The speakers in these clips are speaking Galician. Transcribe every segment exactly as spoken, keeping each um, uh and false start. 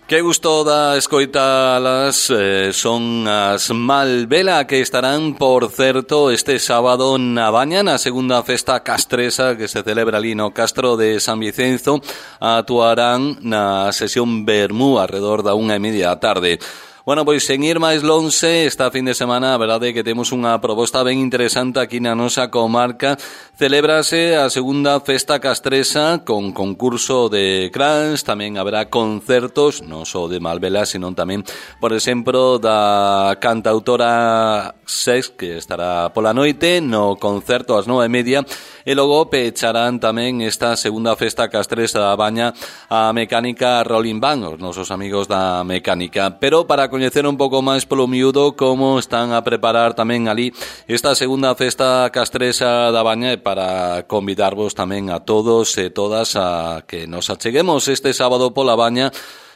Que gusto da escoitalas, eh, son as Malvela, que estarán, por certo, este sábado na Baña, na segunda festa castresa que se celebra ali no Castro de San Vicenzo. Actuarán na sesión Vermú alrededor da unha e media da tarde. Bueno, pois sen ir máis lonxe, esta fin de semana a verdade é que temos unha proposta ben interesante aquí na nosa comarca. Celébrase a segunda festa castresa con concurso de crans, tamén haberá concertos, non só de Malvela, sino tamén, por exemplo, da cantautora Sex, que estará pola noite no concerto ás nove e media, e logo pecharán tamén esta segunda festa castresa da Baña a Mecánica Rolling Band, os nosos amigos da Mecánica. Pero para coñecer un pouco máis polo miúdo como están a preparar tamén ali esta segunda festa castresa da Baña, e para convidarvos tamén a todos e todas a que nos acheguemos este sábado pola Baña.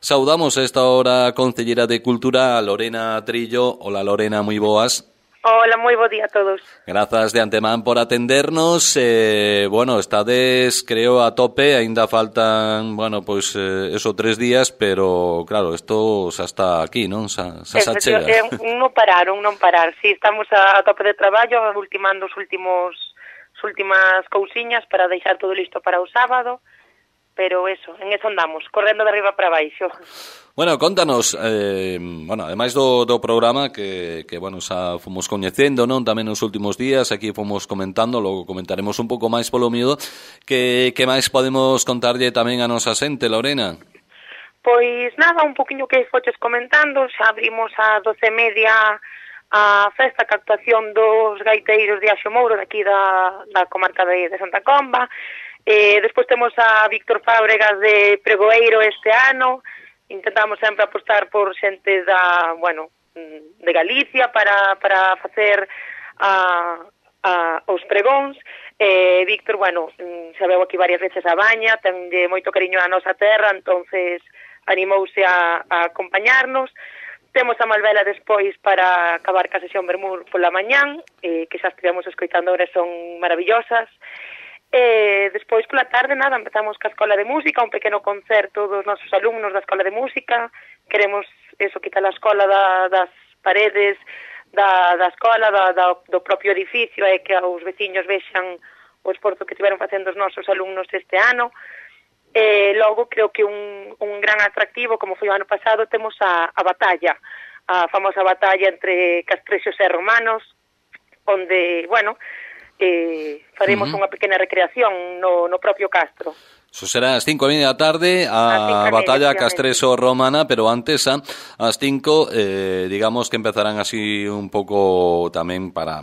Saudamos a esta hora a Concellera de Cultura, Lorena Trillo. Hola Lorena, moi boas. Hola, moi bo día a todos. Grazas de antemán por atendernos. Eh, bueno, estades, creo, a tope, aínda faltan, bueno, pois pues, eh, eso tres días, pero claro, isto xa está aquí, non? Xa, xa se achega. Eh, non pararon, non parar. Si, sí, estamos a, a tope de traballo, ultimando os últimos as últimas cousiñas para deixar todo listo para o sábado, pero eso, en eso andamos, correndo de arriba para baixo. Bueno, contanos, eh, bueno, ademais do, do programa que, que, bueno, xa fomos coñecendo, non? Tamén nos últimos días, aquí fomos comentando, logo comentaremos un pouco máis polo miúdo, que, que máis podemos contarlle tamén a nosa xente, Lorena? Pois nada, un poquinho que foches comentando, xa abrimos a doce e media a festa, que actuación dos gaiteiros de Axo Mouro, daqui da, da comarca de, de Santa Comba. Eh, despois temos a Víctor Fábregas de Pregoeiro este ano. Intentamos sempre apostar por xente da, bueno, de Galicia para, para facer a, a, os pregóns. Eh, Víctor, bueno, xa veu aquí varias veces a Baña, ten de moito cariño a nosa terra, entonces animouse a, a acompañarnos. Temos a Malvela despois para acabar ca sesión Vermú pola mañán, eh, que xa estivemos escoitando, ahora son maravillosas. E despois pola tarde, nada, empezamos ca Escola de Música, un pequeno concerto dos nosos alumnos da Escola de Música. Queremos eso, quitar a escola da, das paredes da, da escola, da, da, do propio edificio, e que os veciños vexan o esforzo que tiveron facendo os nosos alumnos este ano. E logo, creo que un, un gran atractivo, como foi o ano pasado, temos a, a batalla, a famosa batalla entre castrexos e romanos, onde, bueno, eh, faremos uh-huh. unha pequena recreación no, no propio Castro. Eso será ás cinco e media da tarde, a batalla castreso-romana, pero antes, a, ás cinco, eh, digamos que empezarán así un pouco tamén para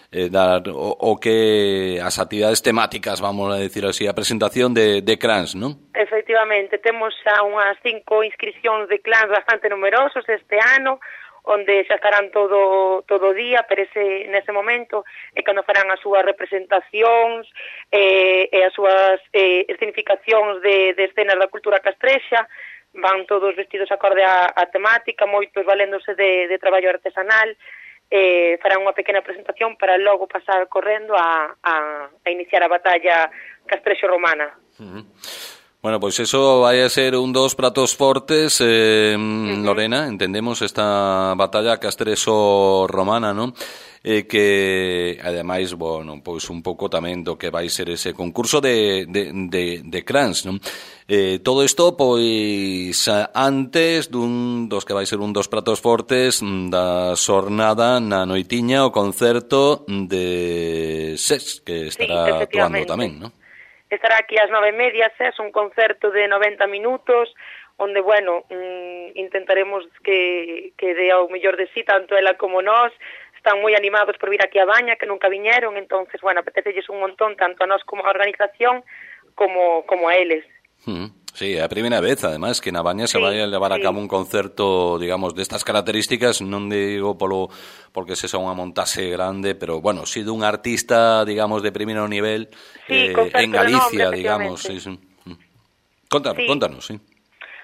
eh, dar o, o que as actividades temáticas, vamos a decir así, a presentación de, de clans, non? Efectivamente, temos xa unhas cinco inscripcións de clans bastante numerosos este ano, onde xa estarán todo todo o día, pero ese, nese momento é cando farán as súas representacións eh, e as súas eh, escenificacións de, de escenas da cultura castrexa. van todos vestidos acorde á, á temática, moitos valéndose de, de traballo artesanal, eh, farán unha pequena presentación para logo pasar correndo a, a, a iniciar a batalla castrexo-romana. Uh-huh. Bueno, pois pues eso vai a ser un dos pratos fortes, eh, uh-huh. Lorena, entendemos esta batalla castrexo-romana, non? Eh, que, ademais, bueno, pois un pouco tamén do que vai ser ese concurso de, de, de, de crans, non? Eh, todo isto, pois, antes dun dos que vai ser un dos pratos fortes da xornada na noitiña, o concerto de SES, que estará sí, actuando tamén, non? Estará aquí ás nove e media, SES, un concerto de noventa minutos, onde, bueno, mmm, intentaremos que, que dé ao mellor de sí, tanto ela como nós. Están moi animados por vir aquí a Baña, que nunca viñeron, entonces, bueno, apetecelles un montón, tanto a nós como a organización, como, como a eles. Mm. Sí, é a primeira vez, además, que na Baña se sí, vai a levar sí. a cabo un concerto, digamos, destas características, non digo polo porque se son unha montaxe grande, pero, bueno, si dun artista, digamos, de primeiro nivel, sí, eh, en Galicia, nombre, digamos. Sí, sí. Contanos, sí. contanos, sí.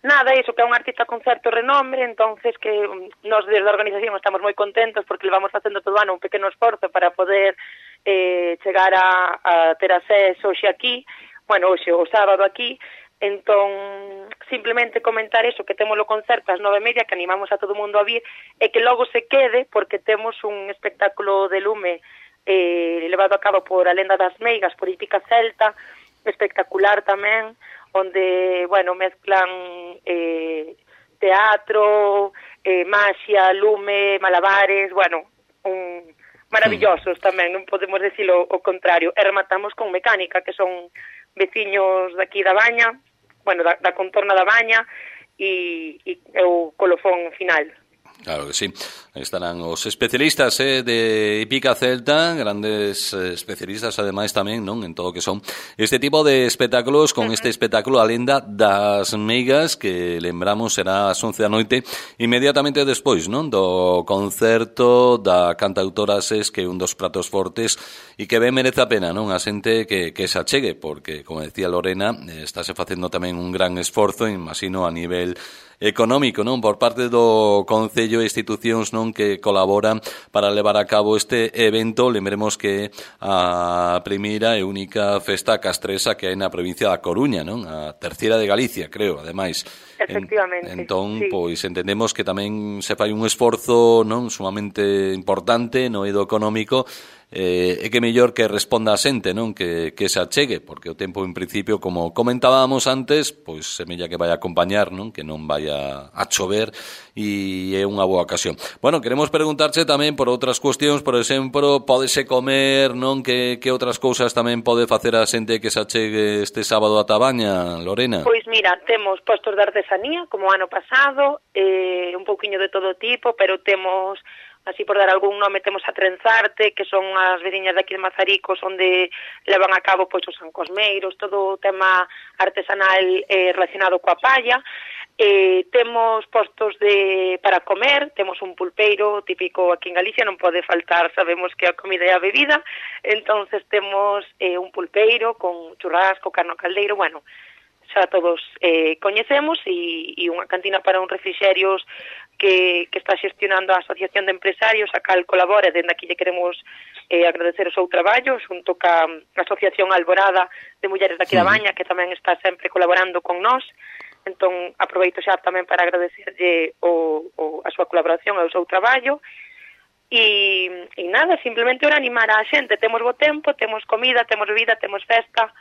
Nada, iso, que é un artista con certo renombre, entonces que nos desde a organización estamos moi contentos porque le vamos facendo todo ano un pequeno esforzo para poder eh, chegar a, a ter a SES hoxe aquí, bueno, hoxe, o sábado aquí. Entón, simplemente comentar eso, que temos o concerto ás nove e media, que animamos a todo o mundo a vir, e que logo se quede, porque temos un espectáculo de lume eh, levado a cabo por a Lenda das Meigas, por Hípica Celta, espectacular tamén, onde, bueno, mezclan eh, teatro, eh, maxia, lume, malabares, bueno, un maravillosos tamén, non podemos decirlo o contrario. E rematamos con mecánica, que son veciños daqui da Baña, bueno, da, da contorna da Baña e, e o colofón final. Claro que sí. Estarán os especialistas eh, de Hípica Celta, grandes eh, especialistas ademais tamén, non, en todo o que son este tipo de espectáculos, con uh-huh. este espectáculo A Lenda das Meigas, que lembramos será ás once da noite, inmediatamente despois, non, do concerto da cantautora SES, que é un dos pratos fortes e que ben merece a pena, non, a xente que, que se achegue, porque, como decía Lorena, eh, estáse facendo tamén un gran esforzo, imagino, a nivel económico, non, por parte do Concello e institucións, non, que colaboran para levar a cabo este evento. Lembremos que a primeira e única festa castresa que hai na provincia da Coruña, non, a terceira de Galicia, creo, ademais. Efectivamente. En, entón, sí. pois entendemos que tamén se fai un esforzo, non, sumamente importante no eido económico, eh, e que mellor que responda a xente, non, que, que se achegue, porque o tempo en principio, como comentábamos antes, pois semella que vai a acompañar, non, que non vai a, a chover, e é unha boa ocasión. Bueno, queremos preguntarche tamén por outras cuestións, por exemplo, pódese comer, non, que, que outras cousas tamén pode facer a xente que se achegue este sábado a Tabaña, Lorena? Pois mira, temos postos de artesanía, como ano pasado, eh, un pouquiño de todo tipo, pero temos, así por dar algún nome, temos a Trenzarte, que son as veciñas de aquí de Mazaricos, onde levan a cabo pois os ancosmeiros, todo o tema artesanal eh, relacionado coa palla. Eh, temos postos de para comer, temos un pulpeiro típico aquí en Galicia, non pode faltar, sabemos que a comida é a bebida, entonces temos eh, un pulpeiro con churrasco, carne caldeiro, bueno, xa todos eh, coñecemos, e, e unha cantina para un refrixerios que, que está xestionando a Asociación de Empresarios, a cal colabora, dende aquí lle queremos eh, agradecer o seu traballo, xunto ca Asociación Alborada de Mulleres daqui da Baña, que tamén está sempre colaborando con nós. Entón, aproveito xa tamén para agradecerlle o, o, a súa colaboración e o seu traballo. E, e nada, simplemente ora animar a xente. Temos bo tempo, temos comida, temos bebida, temos festa.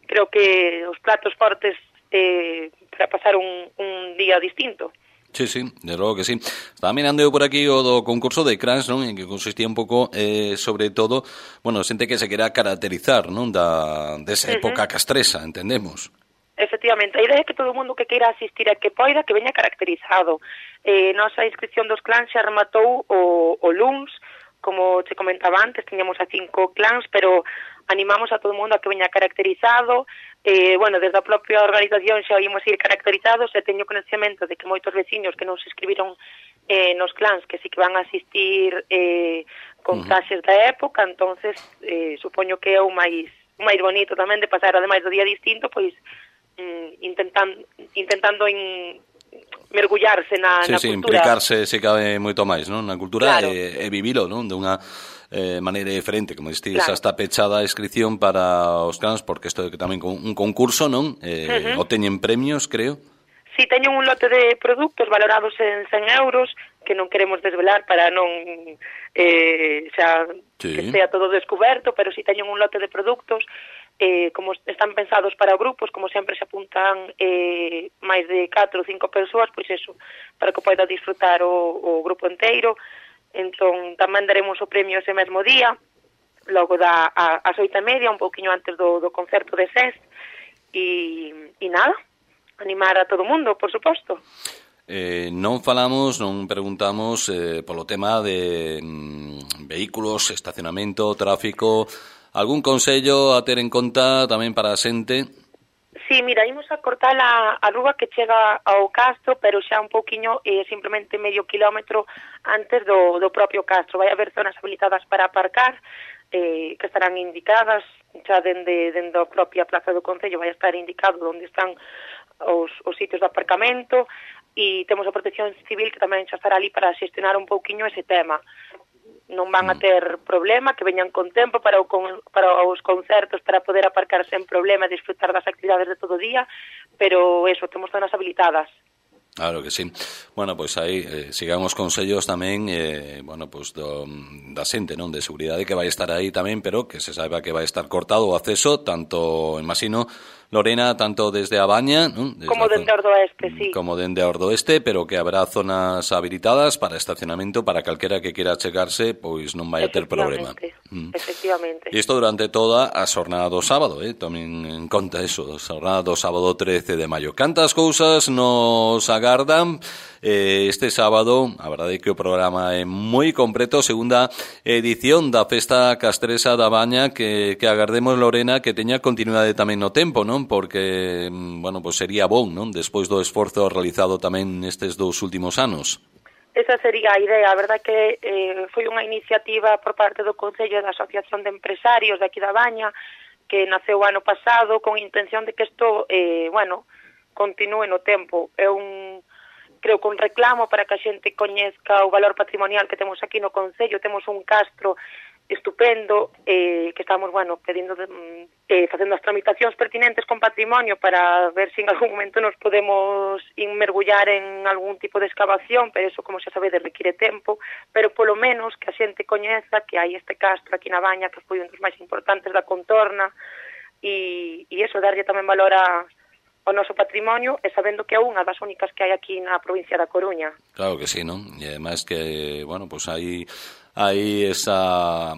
Creo que os platos fortes eh, para pasar un, un día distinto. Sí, sí, de logo que sí. Estaba mirando eu por aquí o do concurso de crans, non? En que consistía un pouco, eh, sobre todo, bueno, xente que se quera caracterizar, non? Da, desa época uh-huh. castresa, entendemos. Efectivamente, a idea é que todo o mundo que queira asistir a que poida, que veña caracterizado. Eh, nosa inscripción dos clans xa rematou o, o luns, como te comentaba antes, tiñamos a cinco clans, pero animamos a todo o mundo a que veña caracterizado. Eh, bueno, desde a propia organización xa oímos ir caracterizados, e teño conhecemento de que moitos veciños que non se inscribiron eh, nos clans, que sí que van a asistir eh, con uh-huh. traxes da época, entonces eh, supoño que é o máis, o máis bonito tamén de pasar, ademais do día distinto, pois mm, intentando, intentando in, mergullarse na, sí, na sí, cultura. implicarse se cabe moito máis, non? Na cultura claro. e, e vivilo, non? De unha eh, maneira diferente, como diste, claro. está pechada a inscripción para os cans, porque isto é que tamén con un concurso, non? Eh, uh-huh. O teñen premios, creo. Si, teñen un lote de produtos valorados en cen euros, que non queremos desvelar para non eh, xa, sí. que estea todo descoberto, pero si teñen un lote de produtos, eh, como están pensados para grupos, como sempre se apuntan eh, máis de catro ou cinco persoas, pois eso, para que poida disfrutar o, o grupo inteiro. Entón, tamén daremos o premio ese mesmo día, logo da a, as oito e media, un pouquiño antes do, do concerto de S E S, e, e nada, animar a todo o mundo, por suposto. Eh, non falamos, non preguntamos eh, polo tema de mm, vehículos, estacionamento, tráfico, algún consello a ter en conta tamén para a xente? Sí, mira, imos a cortar a, a rúa que chega ao Castro, pero xa un pouquiño, eh, simplemente medio kilómetro antes do, do propio Castro. Vai haber zonas habilitadas para aparcar, eh, que estarán indicadas, xa dende, dende a propia Plaza do Concello vai estar indicado onde están os, os sitios de aparcamento, e temos a Protección Civil que tamén xa estará ali para xestionar un pouquiño ese tema. Non van a ter problema, que veñan con tempo para, o con, para os concertos, para poder aparcar sen problema e disfrutar das actividades de todo o día, pero eso, temos zonas habilitadas. Claro que sí. Bueno, pois pues aí eh, sigamos consellos tamén eh, bueno, pois pues do, da xente, non, de seguridade que vai estar aí tamén, pero que se saiba que vai estar cortado o acceso, tanto, imagino, Lorena, tanto desde a Baña, ¿no? Desde como dende Ordoeste, sí. Como dende Ordoeste, pero que habrá zonas habilitadas para estacionamento para calquera que quera chegarse, pois non vai a ter problema. Mm. Efectivamente. E isto durante toda a xornada do sábado, eh? Tomen en conta eso, a xornada do sábado trece de maio. Cantas cousas nos agardan eh, este sábado? A verdade é que o programa é moi completo, segunda edición da Festa Castresa da Baña, que, que agardemos, Lorena, que teña continuidade tamén no tempo, non? Porque, bueno, pues sería bon, non? Despois do esforzo realizado tamén nestes dous últimos anos. Esa sería a idea. A verdad que eh, foi unha iniciativa por parte do Concello da Asociación de Empresarios de aquí da Baña, que naceu o ano pasado con intención de que isto, eh, bueno, continúe no tempo. É un, creo que un reclamo para que a xente coñezca o valor patrimonial que temos aquí no Concello. Temos un castro estupendo, eh, que estamos, bueno, pedindo de, eh, facendo as tramitacións pertinentes con patrimonio para ver se si en algún momento nos podemos inmergullar en algún tipo de excavación, pero eso, como xa sabedes, require tempo, pero polo menos que a xente coñeza que hai este castro aquí na Baña, que foi un dos máis importantes da contorna, e, e eso, darlle tamén valor a o noso patrimonio, e sabendo que é unha das únicas que hai aquí na provincia da Coruña. Claro que sí, non? E además que, bueno, pues hai hai esa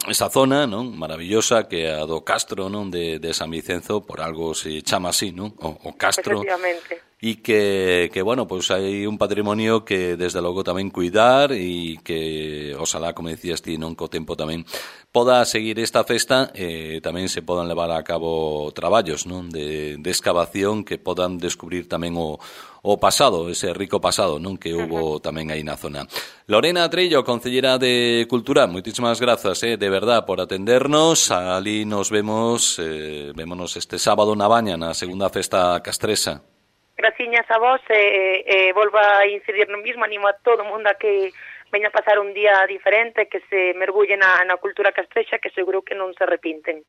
esa zona, non, maravillosa, que é a do Castro, non, de, de San Vicenzo, por algo se chama así, non, o, o Castro. Efectivamente. E que, que, bueno, pues hai un patrimonio que desde logo tamén cuidar e que, oxalá, como decías ti, non, co tempo tamén poda seguir esta festa e eh, tamén se podan levar a cabo traballos, non, de, de excavación que podan descubrir tamén o, o pasado, ese rico pasado, non, que hubo uh-huh. tamén aí na zona. Lorena Trillo, Concellera de Cultura, moitísimas grazas, eh, de verdad, por atendernos. Ali nos vemos, eh, vémonos este sábado na Baña, na segunda festa castresa. Graciñas a vos, e eh, eh, volvo a incidir no mismo, animo a todo o mundo a que veña a pasar un día diferente, que se mergulle na, na cultura castrexa, que seguro que non se arrepinten.